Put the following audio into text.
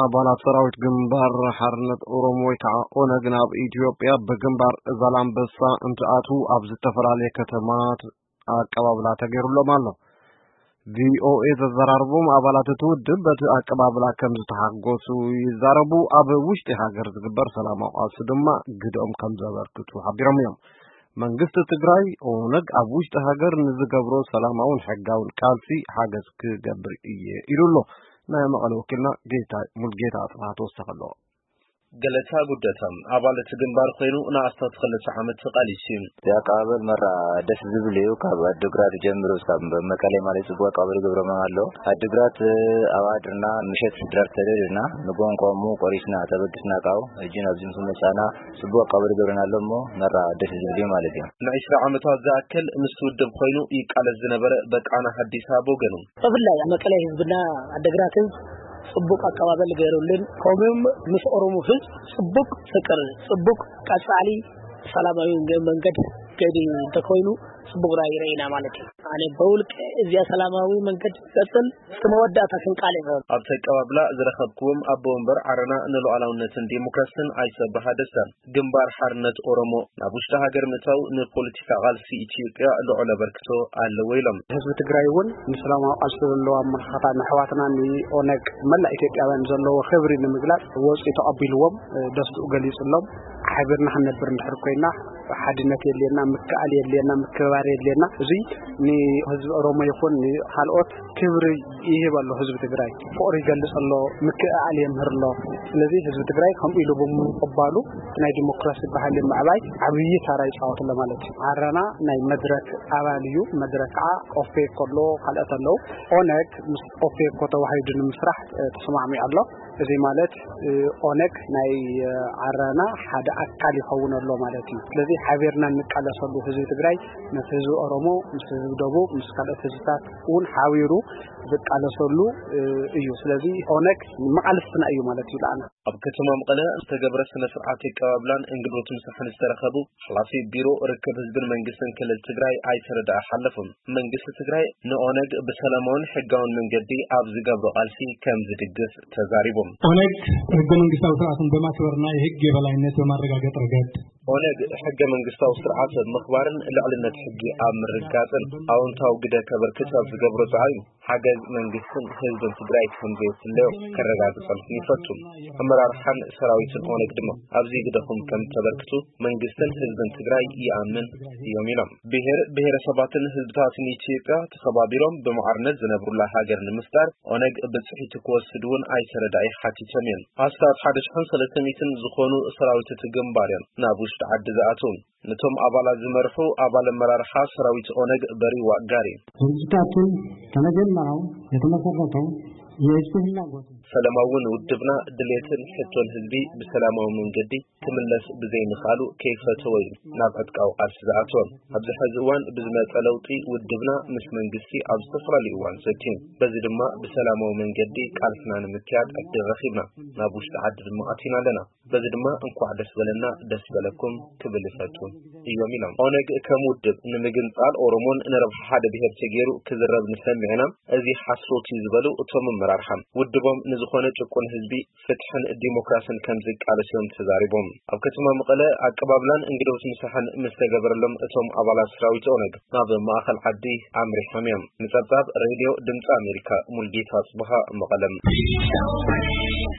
ኣባላት ሰራዊት ግንባር ሓርነት ኦሮሞ ወይ ከዓ ኦነግ ናብ ኢትዮጵያ ብግንባር ዛላምበሳ እንትኣትዉ ኣብ ዝተፈላለየ ከተማት ኣቀባብላ ተገይሩሎም ኣሎ። ቪኦኤ ዘዘራርቦም ኣባላት እቲ ውድብ በቲ ኣቀባብላ ከም ዝተሓጎሱ ይዛረቡ። ኣብ ውሽጢ ሃገር ዝግበር ሰላማዊ ቃልሲ ድማ ግደኦም ከም ዘበርክቱ ሓቢሮም እዮም። መንግስቲ ትግራይ ኦነግ ኣብ ውሽጢ ሃገር ንዝገብሮ ሰላማውን ሕጋውን ቃልሲ ሓገዝ ክገብር እየ ኢሉ ኣሎ። ናይ መቐለ ወኪልና ጌታ ሙልጌታ ኣጽብሃ ተወሰኸ ኣሎ። ገለታ ጉደታ ኣባል እቲ ግንባር ኮይኑ ንኣስታት ክልተ ዓመት ተቓሊሱ እዩ። እቲ ኣቀባበል መራ ደስ ዝብል እዩ። ካብ ኣድግራት ጀምሩ እስካብ መቀሌ ማለት ጽቡቅ ኣቀባበል ይገብሮም ኣሎ። ኣድግራት ኣብ ኣድርና ምሸት ድራር ተደልና ንጎንቆሙ ቆሪስና ተበግስና ቃው እጅን ኣብዚ ምስ መጻና ጽቡቅ ኣቀባበል ይገብረና ኣሎ እሞ መራ ደስ ዝብል እዩ ማለት እዩ። ንዕስራ ዓመታት ዝኣክል ምስ ውድብ ኮይኑ ይቃለስ ዝነበረ በቃና ሀዲሳ ብወገኑ፣ ብፍላይ ኣብ መቀለ ህዝብና ኣድግራት ህዝብ ጽቡቅ ኣቀባበል ገይሩልን ከምኡም ምስ ኦሮሞ ህዝብ ጽቡቅ ፍቅር ጽቡቅ ቀጻሊ ሰላማዊ መንገድ ገዲ እንተኮይኑ ጽቡቅ ራእይ ረኢና ማለት እዩ። ኣነ በውልቀ እዚኣ ሰላማዊ መንገድ ቀጽል እስከ መወዳእታ ክንቃል ኢና። ኣብቲ ኣቀባብላ ዝረኸብክዎም ኣቦ ወንበር ዓረና ንሉዓላውነትን ዲሞክራስን ኣይተ ብርሃ ደስታ፣ ግንባር ሓርነት ኦሮሞ ናብ ውሽጢ ሃገር ምእታው ንፖለቲካ ቃልሲ ኢትዮጵያ ልዑል ኣበርክቶ ኣለዎ ኢሎም። ህዝቢ ትግራይ እውን ንሰላማዊ ቃልሲ ዘለዎ ኣመለኻኽታ ንኣሕዋትና ንኦነግ መላእ ኢትዮጵያውያን ዘለዎ ክብሪ ንምግላጽ ወፂኡ ተቐቢልዎም፣ ደስትኡ ገሊጹሎም። ሓቢርና ክንነብር እንድሕር ኮይና ሓድነት የድልየና፣ ምክእኣል የድልየና፣ ምክብባር የድልየና። እዙይ ንህዝቢ ኦሮሞ ይኹን ንካልኦት ክብሪ ይህብ ኣሎ። ህዝቢ ትግራይ ፍቕሪ ይገልጽ ኣሎ፣ ምክእኣል የምህር ኣሎ። ስለዚ ህዝቢ ትግራይ ከምኡ ኢሉ ብምቕባሉ ናይ ዲሞክራሲ ባህሊ ምዕባይ ዓብዪ ታራ ይፃወት ኣሎ ማለት እዩ። ዓረና ናይ መድረክ ኣባል እዩ። መድረክ ከዓ ኦፌኮ ኣሎ፣ ካልኦት ኣለዉ። ኦነግ ምስ ኦፌኮ ተዋሂዱ ንምስራሕ ተስማዕሚዑ ኣሎ። እዚ ማለት ኦነግ ናይ ዓረና ሓደ ኣካል ይኸውን ኣሎ ማለት እዩ። ስለዚ ሓቢርና እንቃለሰሉ፣ ህዝቢ ትግራይ ምስ ህዝቢ ኦሮሞ፣ ምስ ህዝቢ ደቡብ፣ ምስ ካልኦት ህዝብታት እውን ሓቢሩ ዝቃለሰሉ እዩ። ስለዚ ኦነግ መቃልስትና እዩ ማለት እዩ። ለኣና ኣብ ከተማ መቐለ ዝተገብረ ስነ ስርዓት ኣቀባብላን እንግዶት ምሳሕን ዝተረኸቡ ሓላፊ ቢሮ ርክብ ህዝብን መንግስትን ክልል ትግራይ ኣይተ ረዳኢ ሓለፎም፣ መንግስቲ ትግራይ ንኦነግ ብሰላማውን ሕጋውን መንገዲ ኣብ ዝገብሮ ቃልሲ ከም ዝድግፍ ተዛሪቦም። ኦነግ ህገ መንግስታዊ ስርዓትን በማክበርና የህግ የበላይነት በማረጋገጥ ረገድ ኦነግ ሕገ መንግስታዊ ስርዓት ኣብ ምኽባርን ልዕልነት ሕጊ ኣብ ምርግጋፅን ኣወንታዊ ግደ ከበርክት ኣብ ዝገብሮ ፃዕሪ ሓገዝ መንግስትን ህዝብን ትግራይ ከም ዘየፍለዮ ከረጋግፀልኩም ይፈቱ። ኣመራርሓን ሰራዊትን ኦነግ ድማ ኣብዚ ግደኹም ከም ተበርክቱ መንግስትን ህዝብን ትግራይ ይኣምን እዮም ኢሎም። ብሔር ብሔረሰባትን ህዝብታትን ኢትዮጵያ ተኸባቢሮም ብማዕርነት ዝነብሩላ ሃገር ንምፍጣር ኦነግ ብፅሒቱ ክወስድ እውን ኣይተ ረዳኢ ሓቲቶም እዮም። ኣስታት ሓደ ሽሕን ሰለስተ ሚእትን ዝኾኑ ሰራዊት እቲ ግንባር እዮም ናብ ውሽጢ ዓዲ ዝኣትዉ። ነቶም ኣባላት ዝመርሑ ኣባል ኣመራርሓ ሰራዊት ኦነግ በሪዋ ጋሪ። ድርጅታችን ከመጀመሪያው የተመሰረተው የህዝብ ፍላጎት ሰላማዊ ውድብና ድሌትን ሕቶን ህዝቢ ብሰላማዊ መንገዲ ክምለስ ብዘይምኽኣሉ ከይፈተወ እዩ ናብ ዕጥቃዊ ቃልሲ ዝኣተወ። ኣብዚ ሕዚ እዋን ብዝመፀ ለውጢ ውድብና ምስ መንግስቲ ኣብ ዝተፈላለዩ እዋን ዘትዩ። በዚ ድማ ብሰላማዊ መንገዲ ቃልስና ንምክያድ ዕድል ረኺብና ናብ ውሽጢ ዓዲ ድማ ኣቲና ኣለና። በዚ ድማ እንኳዕ ደስ በለና ደስ በለኩም ክብል ይፈቱ እዮም ኢሎም። ኦነግ ከም ውድብ ንምግንፃል ኦሮሞን ንረብሓ ሓደ ብሄር ተገይሩ ክዝረብ ንሰምዕ ኢና፣ እዚ ሓሶት እዩ ዝበሉ እቶም ኣመራርሓ፣ ውድቦም ንዝኾነ ጭቁን ህዝቢ ፍትሕን ዲሞክራስን ከም ዝቃለስ እዮም ተዛሪቦም። ኣብ ከተማ መቐለ ኣቀባብላን እንግዶት ምሳሕን ምስ ተገበረሎም እቶም ኣባላት ሰራዊት ኦነግ ናብ ማእኸል ዓዲ ኣምሪሖም እዮም። ንፀብፃብ ሬድዮ ድምፂ ኣሜሪካ ሙልጌታ ጽብሃ መቐለም።